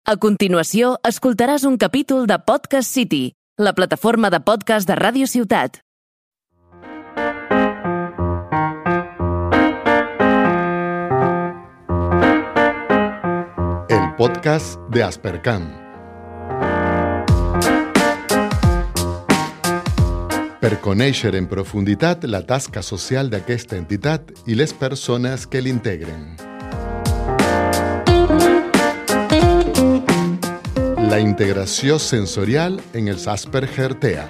A continuació, escoltaràs un capítol de Podcast City, la plataforma de podcast de Ràdio Ciutat. El podcast de Aspercam. Per conèixer en profunditat la tasca social d'aquesta entitat i les persones que l'integren. La integració sensorial en els Asperger TEA.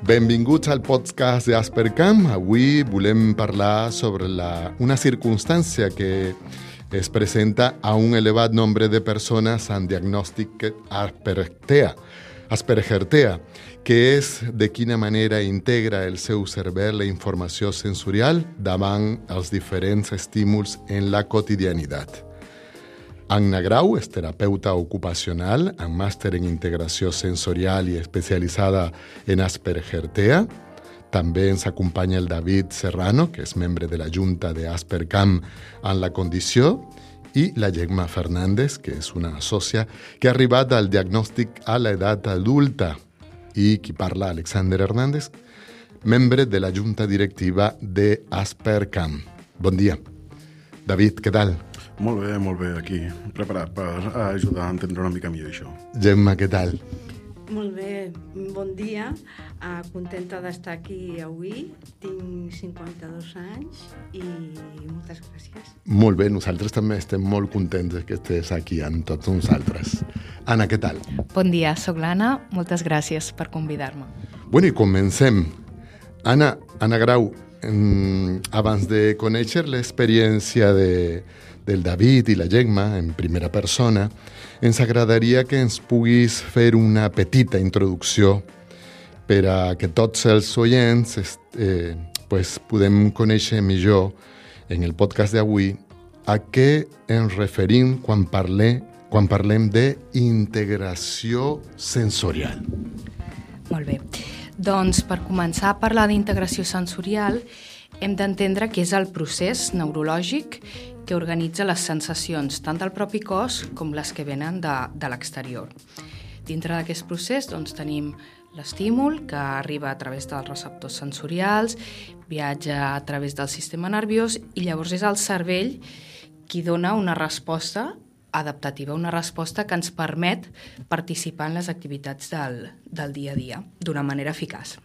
Benvinguts al podcast de Aspercam. Avui volem parlar sobre una circumstància que es presenta a un elevat nombre de persones amb diagnòstic Asperger TEA, que és de quina manera integra el seu cervell la informació sensorial davant els diferents estímuls en la quotidianitat. Anna Grau és terapeuta ocupacional amb màster en integració sensorial i especialitzada en Asperger TEA. També ens acompanya el David Serrano, que és membre de la Junta de Aspercam en la condició, i la Gemma Fernández, que és una sòcia que ha arribat al diagnòstic a l'edat adulta. I qui parla, Alexander Hernández, membre de la Junta Directiva de Aspercam. Bon dia. David, què tal? Molt bé, aquí, preparat per ajudar a entendre una mica millor això. Gemma, què tal? Molt bé, bon dia. Contenta d'estar aquí avui. Tinc 52 anys i moltes gràcies. Molt bé, nosaltres també estem molt contents que estiguis aquí amb tots nosaltres. Anna, què tal? Bon dia, soc l'Anna. Moltes gràcies per convidar-me. Bueno, i comencem. Anna Grau, abans de conèixer l'experiència del David i la Gemma en primera persona, ens agradaria que ens puguis fer una petita introducció per a que tots els oients podem conèixer millor en el podcast d'avui a què ens referim quan parlem d'integració sensorial. Molt bé. Doncs per començar a parlar d'integració sensorial hem d'entendre que és el procés neurològic que organitza les sensacions tant del propi cos com les que venen de l'exterior. Dintre d'aquest procés tenim l'estímul que arriba a través dels receptors sensorials, viatja a través del sistema nerviós i llavors és el cervell qui dona una resposta adaptativa, una resposta que ens permet participar en les activitats del dia a dia d'una manera eficaç.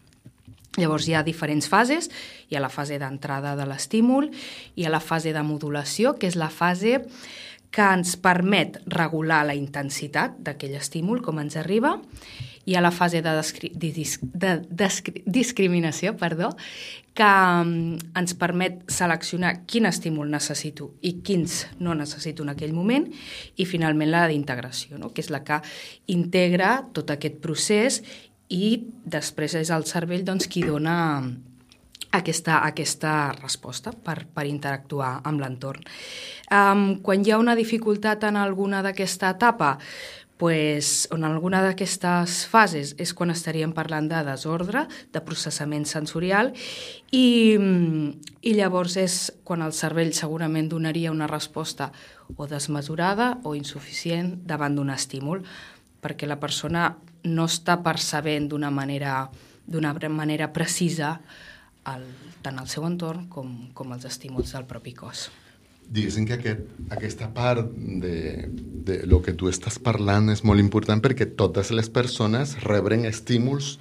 Llavors hi ha diferents fases. Hi ha la fase d'entrada de l'estímul, hi ha la fase de modulació, que és la fase que ens permet regular la intensitat d'aquell estímul, com ens arriba. Hi ha la fase de discriminació, que ens permet seleccionar quin estímul necessito i quins no necessito en aquell moment. I finalment la d'integració, que és la que integra tot aquest procés i després és el cervell qui dona aquesta resposta per interactuar amb l'entorn. Quan hi ha una dificultat en alguna d'aquesta etapa, o en alguna d'aquestes fases, és quan estaríem parlant de desordre, de processament sensorial, i llavors és quan el cervell segurament donaria una resposta o desmesurada o insuficient davant d'un estímul, perquè la persona no està percebent d'una manera precisa tant el seu entorn com els estímuls del propi cos. Diguéssim que aquesta part de lo que tu estàs parlant és molt important perquè totes les persones reben estímuls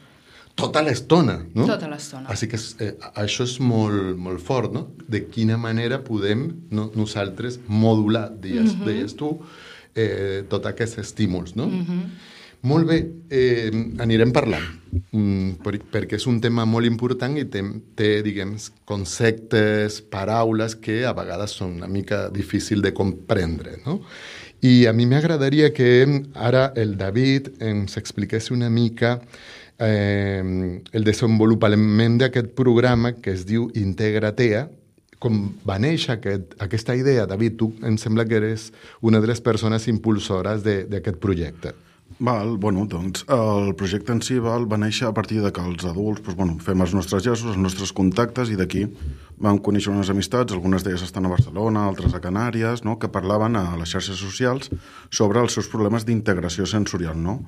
tota l'estona, no? Tota l'estona. Així que això és molt, molt fort, no? De quina manera podem nosaltres modular, deies tu, tots aquests estímuls, no? Molt bé, anirem parlant, perquè és un tema molt important i té conceptes, paraules que a vegades són una mica difícil de comprendre, no? I a mi m'agradaria que ara el David ens expliqués una mica el desenvolupament d'aquest programa que es diu Integra TEA. Com va néixer aquesta idea, David? Tu em sembla que eres una de les persones impulsores d'aquest projecte. El projecte en si va néixer a partir de que els adults fem els nostres gestos, els nostres contactes i d'aquí vam conèixer unes amistats, algunes d'elles estan a Barcelona, altres a Canàries, no? Que parlaven a les xarxes socials sobre els seus problemes d'integració sensorial, no?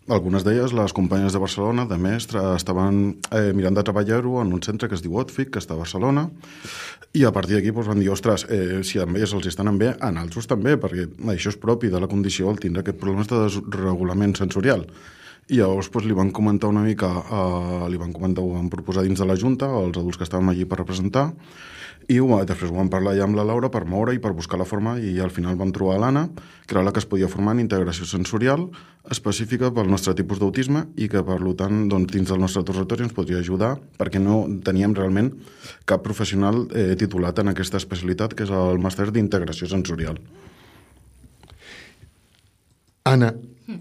Algunes d'elles, les companyes de Barcelona, de mestre, estaven mirant de treballar-ho en un centre que es diu OTFIC, que està a Barcelona, i a partir d'aquí van dir, ostres, si a elles els estan bé, a altres també, perquè això és propi de la condició, el tindre aquest problema de desregulament sensorial. I llavors li van comentar una mica, ho van proposar dins de la Junta, als adults que estàvem allí per representar, i després ho vam parlar ja amb la Laura per moure i per buscar la forma, i al final vam trobar l'Anna, que era la que es podia formar en integració sensorial específica pel nostre tipus d'autisme i que, per tant, dins del nostre territori ens podria ajudar, perquè no teníem realment cap professional titulat en aquesta especialitat, que és el màster d'integració sensorial. Anna,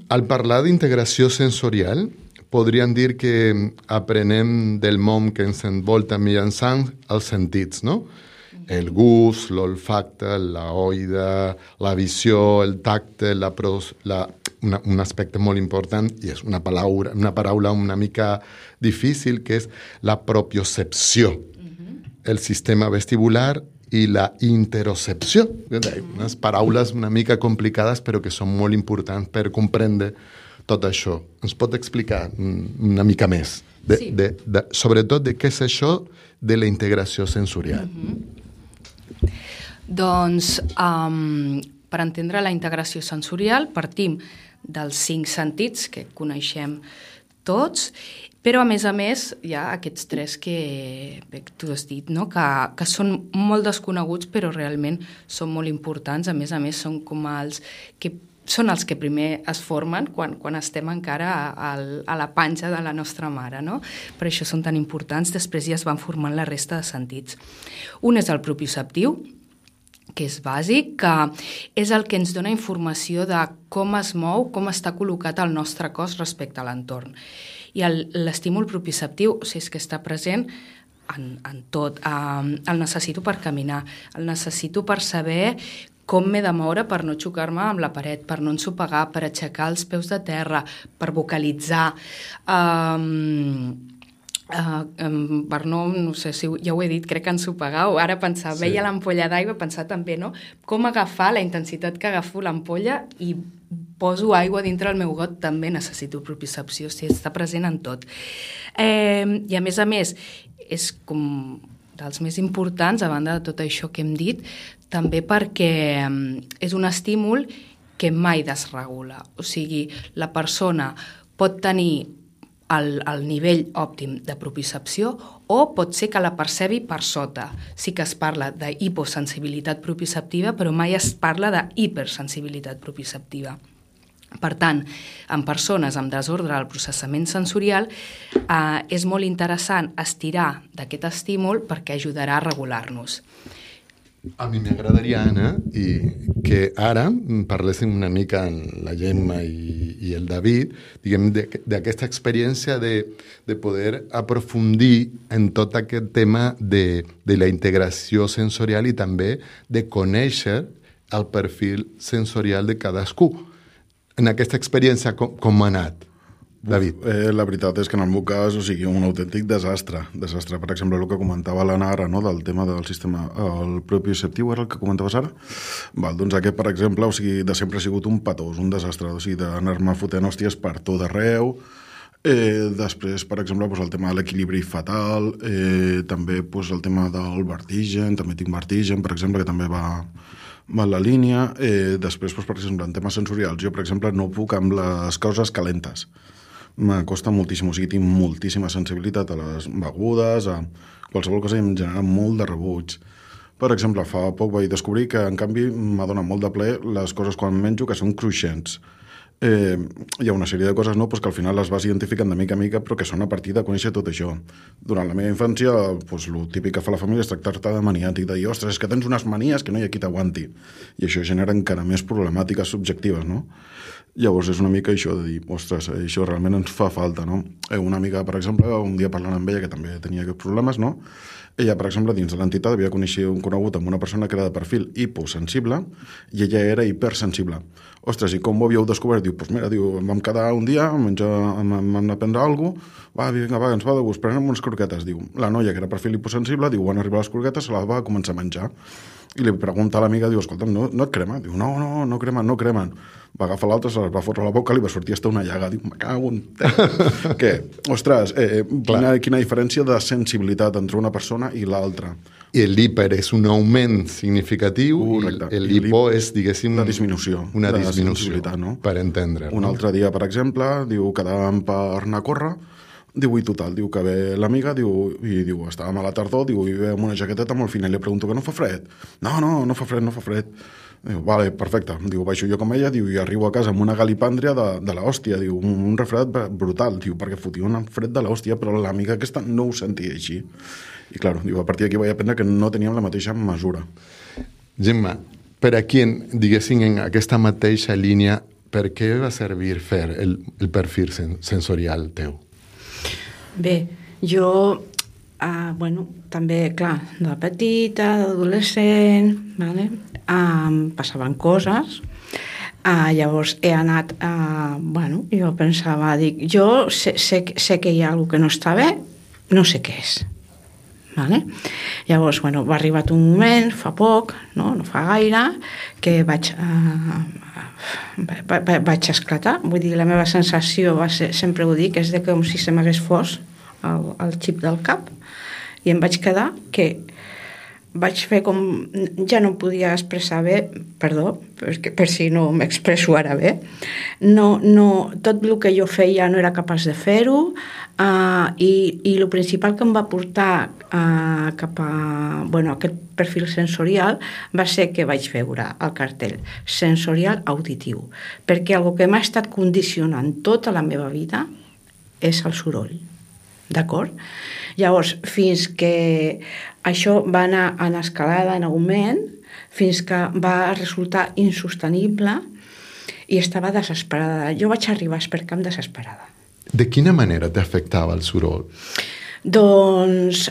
al parlar d'integració sensorial, podríem dir que aprenem del món que ens envolta mitjançant els sentits, no? El gust, l'olfacte, l'oïda, la visió, el tacte, un aspecte molt important, i és una paraula una mica difícil, que és la propiocepció. El sistema vestibular i la interocepció. Unes paraules una mica complicades, però que són molt importants per comprendre tot això. Ens pot explicar una mica més, sobretot de què és això de la integració sensorial? Doncs, per entendre la integració sensorial, partim dels 5 sentits que coneixem tots, però, a més, hi ha aquests 3 que tu has dit, no? que són molt desconeguts, però realment són molt importants. A més, són com els que primer es formen quan estem encara a la panxa de la nostra mare, no? Per això són tan importants. Després ja es van formant la resta de sentits. Un és el propioceptiu, que és bàsic, que és el que ens dona informació de com es mou, com està col·locat el nostre cos respecte a l'entorn. I l'estímul propioceptiu, és que està present en tot. El necessito per caminar, el necessito per saber com m'he de moure per no xocar-me amb la paret, per no ensopegar, per aixecar els peus de terra, per vocalitzar, per no sé si ja ho he dit, crec que ensopegar, o ara pensar, veia l'ampolla d'aigua, pensar també, no? Com agafar la intensitat que agafo l'ampolla i poso aigua dintre el meu got, també necessito propiocepció, està present en tot. I a més, és com dels més importants, a banda de tot això que hem dit, també perquè és un estímul que mai desregula. O sigui, la persona pot tenir el nivell òptim de propiocepció o pot ser que la percebi per sota. Sí que es parla d'hiposensibilitat propioceptiva, però mai es parla d'hipersensibilitat propioceptiva. Per tant, en persones amb desordre del processament sensorial és molt interessant estirar d'aquest estímul perquè ajudarà a regular-nos. A mi m'agradaria, Anna, que ara parléssim una mica en la Gemma i el David, diguem, d'aquesta experiència de poder aprofundir en tot aquest tema de la integració sensorial i també de conèixer el perfil sensorial de cadascú. En aquesta experiència, com ha anat, David? La veritat és que en el meu cas, un autèntic desastre. Per exemple, el que comentava l'Anna ara, no? Del tema del sistema, el propioceptiu era el que comentaves ara? Doncs aquest, per exemple, de sempre ha sigut un patós, un desastre, d'anar-me fotent hòsties per tot arreu. Després, per exemple, el tema de l'equilibri fatal, també el tema del vertigen, també tinc vertigen, per exemple, que també va la línia. Després, per exemple, en temes sensorials, jo, per exemple, no puc amb les coses calentes. M'acosta moltíssim, tinc moltíssima sensibilitat a les begudes, a qualsevol cosa, i em genera molt de rebuig. Per exemple, fa poc vaig descobrir que, en canvi, m'ha donat molt de plaer les coses quan menjo que són cruixents. Hi ha una sèrie de coses que al final les vas identificant de mica a mica, però que són a partir de conèixer tot això. Durant la meva infància, el típic que fa la família és tractar-te de maniàtic, de dir, ostres, és que tens unes manies que no hi ha qui t'aguanti. I això genera encara més problemàtiques subjectives, no? Llavors és una mica això de dir, ostres, això realment ens fa falta, no? Una amiga, per exemple, un dia parlant amb ella, que també tenia aquests problemes, no? Ella, per exemple, dins de l'entitat havia conegut amb una persona que era de perfil hiposensible i ella era hipersensible. ostres, i com ho havíeu descobert? Diu, doncs mira, diu, vam quedar un dia, vam anar a prendre alguna cosa, vinga, ens va de gust, prenem unes croquetes. Diu, la noia, que era perfil hiposensible, diu, van arribar les croquetes, se la va començar a menjar. I li pregunta a l'amiga, diu, escolta, no et crema? Diu, no cremen. Va agafar l'altre, se les va fotre a la boca, li va sortir hasta una llaga. Diu, me cago en... Què? Ostres, quina diferència de sensibilitat entre una persona i l'altra. I l'hiper és un augment significatiu. Correcte. I l'hipo és, diguéssim... Una disminució. Una de disminució, no? per entendre. Un altre dia, per exemple, diu, quedàvem per anar a córrer, diu, i total, diu que ve l'amiga, diu, estàvem a la tardor, diu, i ve amb una jaqueteta molt fina, i li pregunto que no fa fred. No fa fred. Diu, vale, perfecte. Diu, baixo jo com ella, diu, i arribo a casa amb una galipàndria de l'hòstia, diu, un refredat brutal, diu, perquè fotia un fred de l'hòstia, però l'amiga aquesta no ho sentia així. I, clar, diu, a partir d'aquí vaig aprendre que no teníem la mateixa mesura. Gemma, per aquí, diguéssim, en aquesta mateixa línia, per què va servir fer el perfil sensorial teu? Bé, jo, també, clar, de petita, d'adolescent, vale? Passaven coses, llavors he anat, jo pensava, jo sé que hi ha alguna que no està bé, no sé què és. Vale? Llavors, va arribar un moment, fa poc, no fa gaire, que vaig esclatar. Vull dir, la meva sensació va ser, sempre ho dic, és com si se m'hagués fos el xip del cap, i em vaig quedar que vaig fer com... Ja no podia expressar bé, perdó, per si no m'expresso ara bé. Tot el que jo feia no era capaç de fer-ho, i el principal que em va portar cap a aquest perfil sensorial va ser que vaig veure el cartell sensorial auditiu, perquè el que m'ha estat condicionant tota la meva vida és el soroll, d'acord? Llavors, fins que això va anar en escalada, en augment, fins que va resultar insostenible i estava desesperada. Jo vaig arribar a Espercamp desesperada. De quina manera t'afectava el soroll? Doncs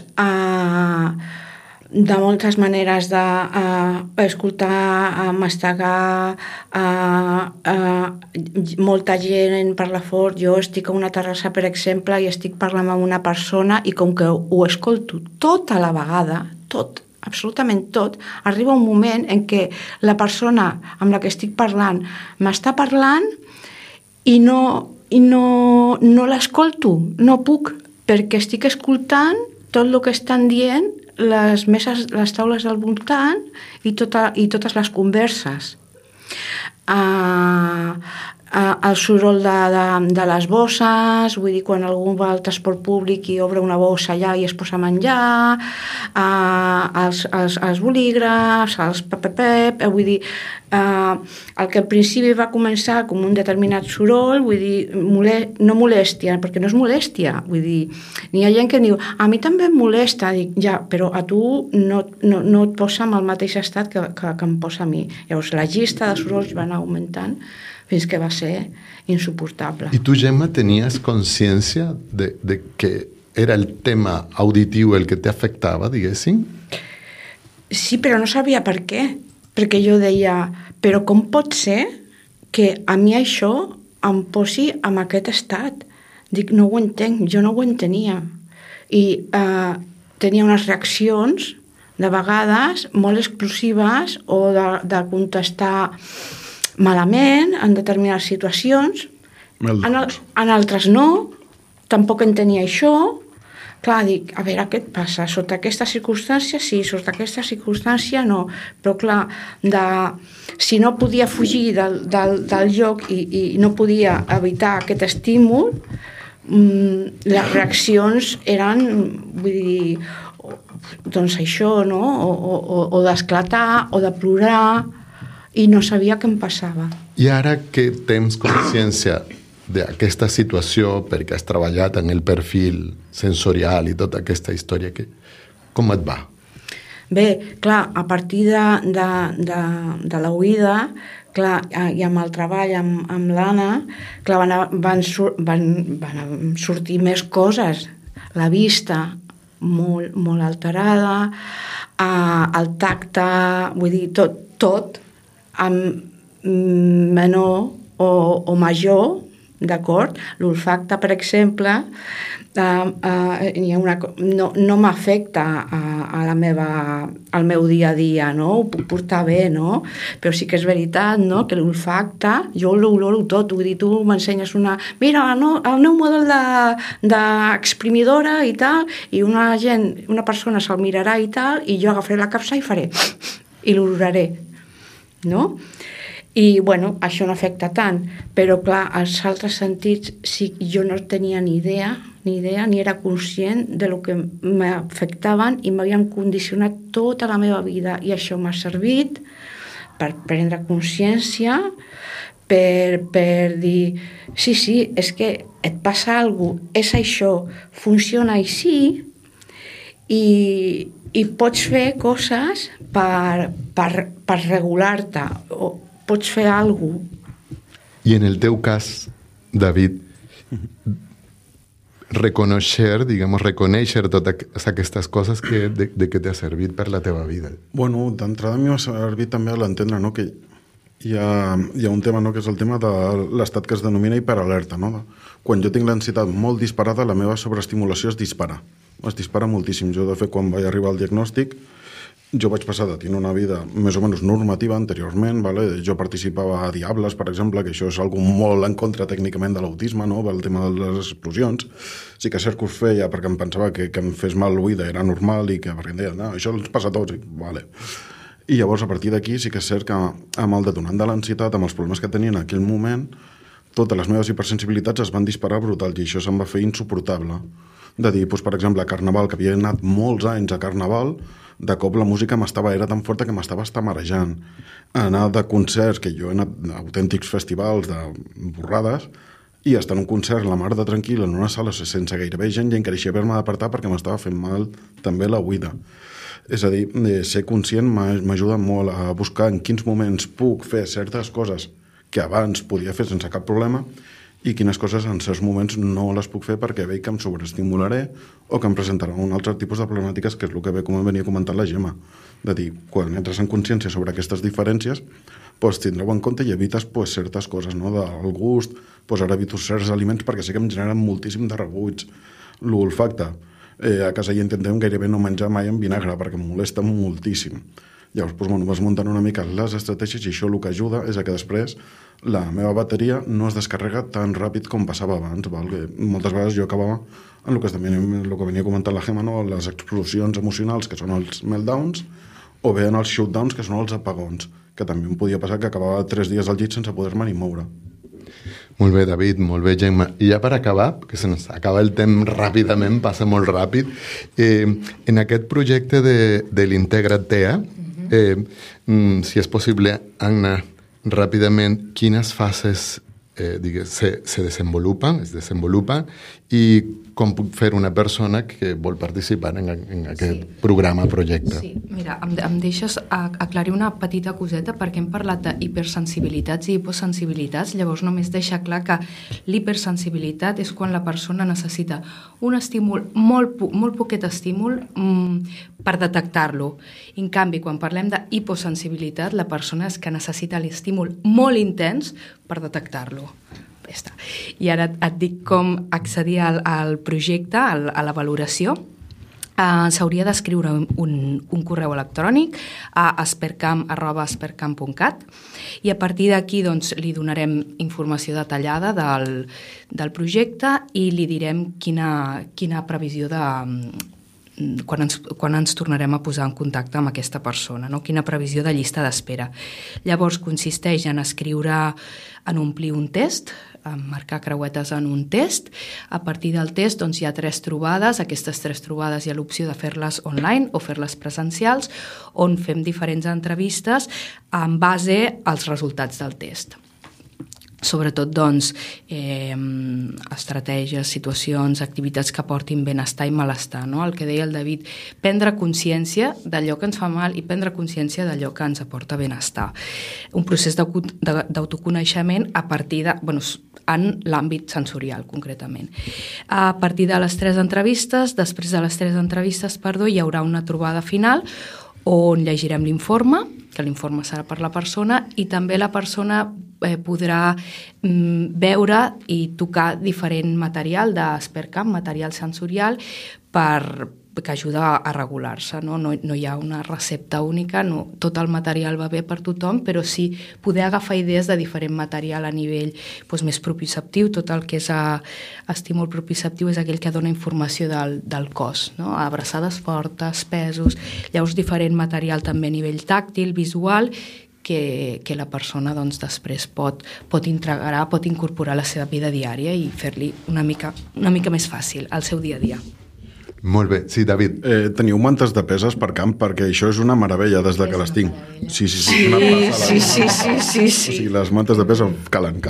de moltes maneres d'escoltar, mastegar, molta gent parla fort. Jo estic a una terrassa, per exemple, i estic parlant amb una persona i com que ho escolto tota la vegada, tot, absolutament tot, arriba un moment en què la persona amb la que estic parlant m'està parlant i no l'escolto, no puc, perquè estic escoltant tot el que estan dient les meses, les taules del voltant i totes les converses. El soroll de les bosses, vull dir, quan algú va al transport públic i obre una bossa allà i es posa a menjar, els bolígrafs, els pep, vull dir, el que al principi va començar com un determinat soroll, vull dir, no molèstia, perquè no és molèstia, vull dir, n'hi ha gent que diu, a mi també em molesta, dic, ja, però a tu no et posa en el mateix estat que em posa a mi. Llavors, la llista de sorolls va anar augmentant fins que va ser insuportable. I tu, Gemma, tenies consciència de que era el tema auditiu el que t'afectava, diguéssim? Sí, però no sabia per què. Perquè jo deia, però com pot ser que a mi això em posi en aquest estat? Dic, no ho entenc, jo no ho entenia. I tenia unes reaccions, de vegades, molt explosives o de contestar malament en determinades situacions, en altres no, tampoc entenia això. Clar, dic, a veure, què et passa? Sota aquesta circumstància sí, sota aquesta circumstància no. Però clar, si no podia fugir del lloc i no podia evitar aquest estímul, les reaccions eren, vull dir, doncs això, no? O d'esclatar, o de plorar, i no sabia què em passava. I ara que tens consciència d'aquesta situació, perquè has treballat en el perfil sensorial i tota aquesta història, com et va? Bé, clar, a partir de l'oïda, clar, i amb el treball amb l'Anna, clar, van sortir més coses. La vista molt, molt alterada, el tacte, vull dir, tot, menor o major, d'acord? L'olfacte, per exemple, no m'afecta al meu dia a dia, no? Ho puc portar bé, no? Però sí que és veritat, no?, que l'olfacte, jo l'oloro tot, vull dir, tu m'ensenyes mira, el nou model d'exprimidora i tal, i una persona se'l mirarà i tal, i jo agafaré la capsa i faré, i l'oloraré, no? I, bueno, això no afecta tant, però, clar, als altres sentits sí, jo no tenia ni idea, ni era conscient de lo que m'afectaven i m'havien condicionat tota la meva vida, i això m'ha servit per prendre consciència, per dir, sí, és que et passa alguna cosa, és això, funciona així, i pots fer coses per regular-te, o pots fer alguna cosa. I en el teu cas, David, reconèixer totes aquestes coses de què t'ha servit per la teva vida. Bueno, d'entrada a mi m'ha servit també a l'entendre, no?, que hi ha un tema, no?, que és el tema de l'estat que es denomina hiperalerta, no? Quan jo tinc l'ansietat molt disparada, la meva sobreestimulació es dispara moltíssim. Jo, de fet, quan vaig arribar al diagnòstic, jo vaig passar de tenir una vida més o menys normativa anteriorment, vale? Jo participava a Diables, per exemple, que això és algo molt en contra tècnicament de l'autisme, no?, el tema de les explosions. Sí que és cert que us feia perquè em pensava que em fes mal l'oïda era normal i que perquè em deia, no, això ens passa a tots, vale. I llavors, a partir d'aquí, sí que és cert que amb el detonant de l'ansietat, amb els problemes que tenia en aquell moment, totes les meves hipersensibilitats es van disparar brutal i això se'm va fer insuportable. De dir, doncs, per exemple, a Carnaval, que havia anat molts anys a Carnaval, de cop la música era tan forta que m'estava marejant. Anar de concerts, que jo he anat a autèntics festivals de borrades, i estar en un concert la mar de tranquil en una sala sense gairebé gent i encara així haver-me d'apartar perquè m'estava fent mal també la oïda. És a dir, ser conscient m'ajuda molt a buscar en quins moments puc fer certes coses que abans podia fer sense cap problema i quines coses en certs moments no les puc fer perquè veig que em sobreestimularé o que em presentarà un altre tipus de problemàtiques, que és el que ve com venia comentant la Gemma. De dir, quan entres en consciència sobre aquestes diferències, doncs tindreu en compte i evites certes coses, no? Del gust, ara evito certs aliments perquè sé que em generen moltíssim de rebuig. L'olfacte, a casa hi intentem gairebé no menjar mai en vinagre perquè em molesta moltíssim. Llavors, vas muntant una mica les estratègies i això el que ajuda és que després la meva bateria no es descarrega tan ràpid com passava abans, val? Que moltes vegades jo acabava en el que venia comentant la Gemma, no? Les explosions emocionals, que són els meltdowns, o bé en els shutdowns, que són els apagons, que també em podia passar que acabava 3 dies al llit sense poder-me ni moure. Molt bé, David, molt bé, Gemma. I ja per acabar, perquè se nos acaba el temps ràpidament, passa molt ràpid, en aquest projecte de l'Integra't TEA, si és possible, Anna, ràpidament, quines fases se desenvolupen i com puc fer una persona que vol participar en aquest programa, projecte. Sí, mira, em deixes aclarir una petita coseta perquè hem parlat d'hipersensibilitats i hiposensibilitats, llavors només deixa clar que l'hipersensibilitat és quan la persona necessita un estímul, molt poquet estímul per detectar-lo. En canvi, quan parlem d'hiposensibilitat, la persona és que necessita l'estímul molt intens per detectar-lo. Ja està. I ara et dic com accedir al projecte, a la valoració. S'hauria d'escriure un correu electrònic a espercamp@espercamp.cat i a partir d'aquí doncs, li donarem informació detallada del projecte i li direm quina previsió de quan ens tornarem a posar en contacte amb aquesta persona, no? Quina previsió de llista d'espera. Llavors consisteix en en omplir un test, en marcar creuetes en un test. A partir del test doncs, hi ha 3 trobades. Aquestes 3 trobades hi ha l'opció de fer-les online o fer-les presencials, on fem diferents entrevistes en base als resultats del test. Sobretot, doncs, estratègies, situacions, activitats que portin benestar i malestar, no? El que deia el David, prendre consciència d'allò que ens fa mal i prendre consciència d'allò que ens aporta benestar. Un procés d'autoconeixement a partir en l'àmbit sensorial, concretament. A partir de les 3 entrevistes, després de les 3 entrevistes, hi haurà una trobada final on llegirem l'informe que l'informe serà per la persona, i també la persona podrà veure i tocar diferent material d'Espercamp, material sensorial, que ajuda a regular-se. No hi ha una recepta única, tot el material va bé per tothom, però sí poder agafar idees de diferent material a nivell més proprioceptiu. Tot el que és estímul proprioceptiu és aquell que dona informació del cos, no? Abraçades fortes, pesos, llavors diferent material també a nivell tàctil, visual, que la persona després pot integrar, pot incorporar a la seva vida diària i fer-li una mica més fàcil al seu dia a dia. Molt bé. Sí, David. Teniu mantes de pes Espercamp, perquè això és una meravella des de que les tinc. Sí. O sigui, les mantes de pes calen.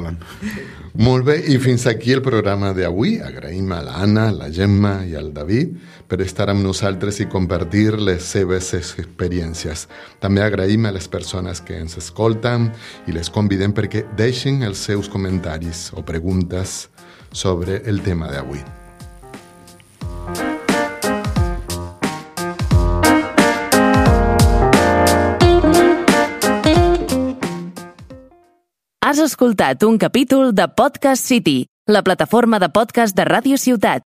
Molt bé, i fins aquí el programa d'avui. Agraïm a l'Anna, la Gemma i al David per estar amb nosaltres i compartir les seves experiències. També agraïm a les persones que ens escolten i les convidem perquè deixin els seus comentaris o preguntes sobre el tema d'avui. Has escoltat un capítol de Podcast City, la plataforma de podcast de Ràdio Ciutat.